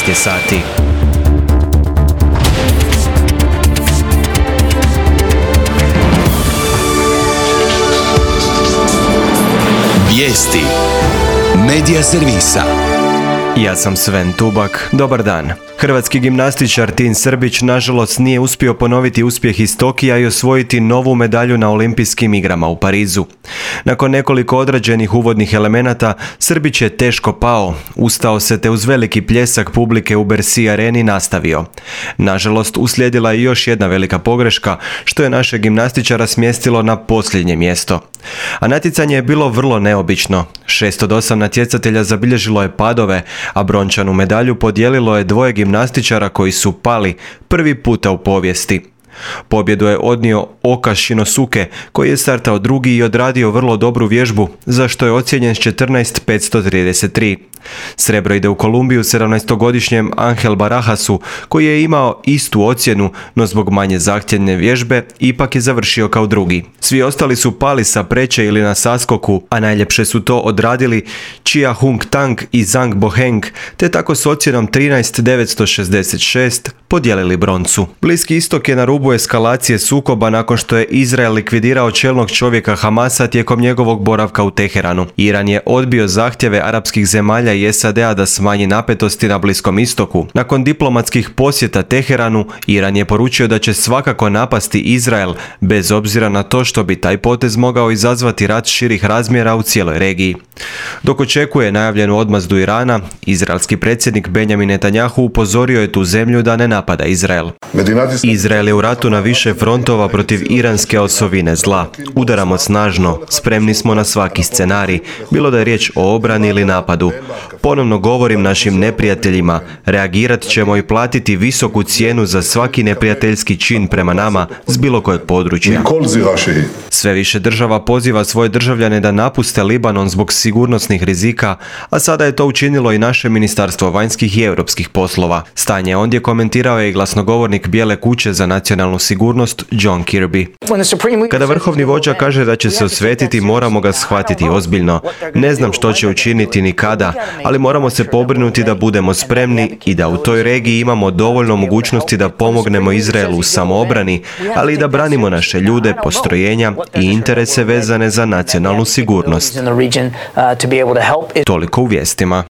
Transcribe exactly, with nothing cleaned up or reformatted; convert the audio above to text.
šest je sati. Vijesti Medija servisa. Ja sam Sven Tubak, dobar dan. Hrvatski gimnastičar Tin Srbić nažalost nije uspio ponoviti uspjeh iz Tokija i osvojiti novu medalju na Olimpijskim igrama u Parizu. Nakon nekoliko odrađenih uvodnih elemenata, Srbić je teško pao, ustao se te uz veliki pljesak publike u Bercy areni nastavio. Nažalost, uslijedila je još jedna velika pogreška, što je naše gimnastičara smjestilo na posljednje mjesto. A natjecanje je bilo vrlo neobično. Šest od osam natjecatelja zabilježilo je padove, a brončanu medalju podijelilo je dvoje gimnastičara koji su pali prvi puta u povijesti. Pobjedu je odnio Oka Shinosuke, koji je startao drugi i odradio vrlo dobru vježbu, za što je ocijenjen s četrnaest zarez petsto trideset tri. Srebro ide u Kolumbiju sedamnaestogodišnjem Angel Barajasu, koji je imao istu ocjenu, no zbog manje zahtjevne vježbe ipak je završio kao drugi. Svi ostali su pali sa preće ili na saskoku, a najljepše su to odradili Chia Hung Tang i Zhang Boheng, te tako s ocjenom trinaest zarez devetsto šezdeset šest podijelili broncu. Bliski istok je na rubu eskalacije sukoba nakon što je Izrael likvidirao čelnog čovjeka Hamasa tijekom njegovog boravka u Teheranu. Iran je odbio zahtjeve arapskih zemalja i S A D-a da smanji napetosti na Bliskom istoku. Nakon diplomatskih posjeta Teheranu, Iran je poručio da će svakako napasti Izrael, bez obzira na to što bi taj potez mogao izazvati rat širih razmjera u cijeloj regiji. Dok očekuje najavljenu odmazdu Irana, izraelski predsjednik Benjamin Netanjahu upozorio je tu zemlju da ne napada Izrael. Izrael je u ratu na više frontova protiv iranske osovine zla. Udaramo snažno, spremni smo na svaki scenarij, bilo da je riječ o obrani ili napadu. Ponovno govorim našim neprijateljima, reagirat ćemo i platiti visoku cijenu za svaki neprijateljski čin prema nama s bilo kojeg područja. Sve više država poziva svoje državljane da napuste Libanon zbog sigurnosnih rizika, a sada je to učinilo i naše Ministarstvo vanjskih i europskih poslova. Stanje ondje komentirao je i glasnogovornik Bijele kuće za nacionalnu sigurnost John Kirby. Kada vrhovni vođa kaže da će se osvetiti, moramo ga shvatiti ozbiljno. Ne znam što će učiniti ni kada, ali moramo se pobrinuti da budemo spremni i da u toj regiji imamo dovoljno mogućnosti da pomognemo Izraelu u samoobrani, ali i da branimo naše ljude, postrojenja i interese vezane za nacionalnu sigurnost. Toliko u vijestima.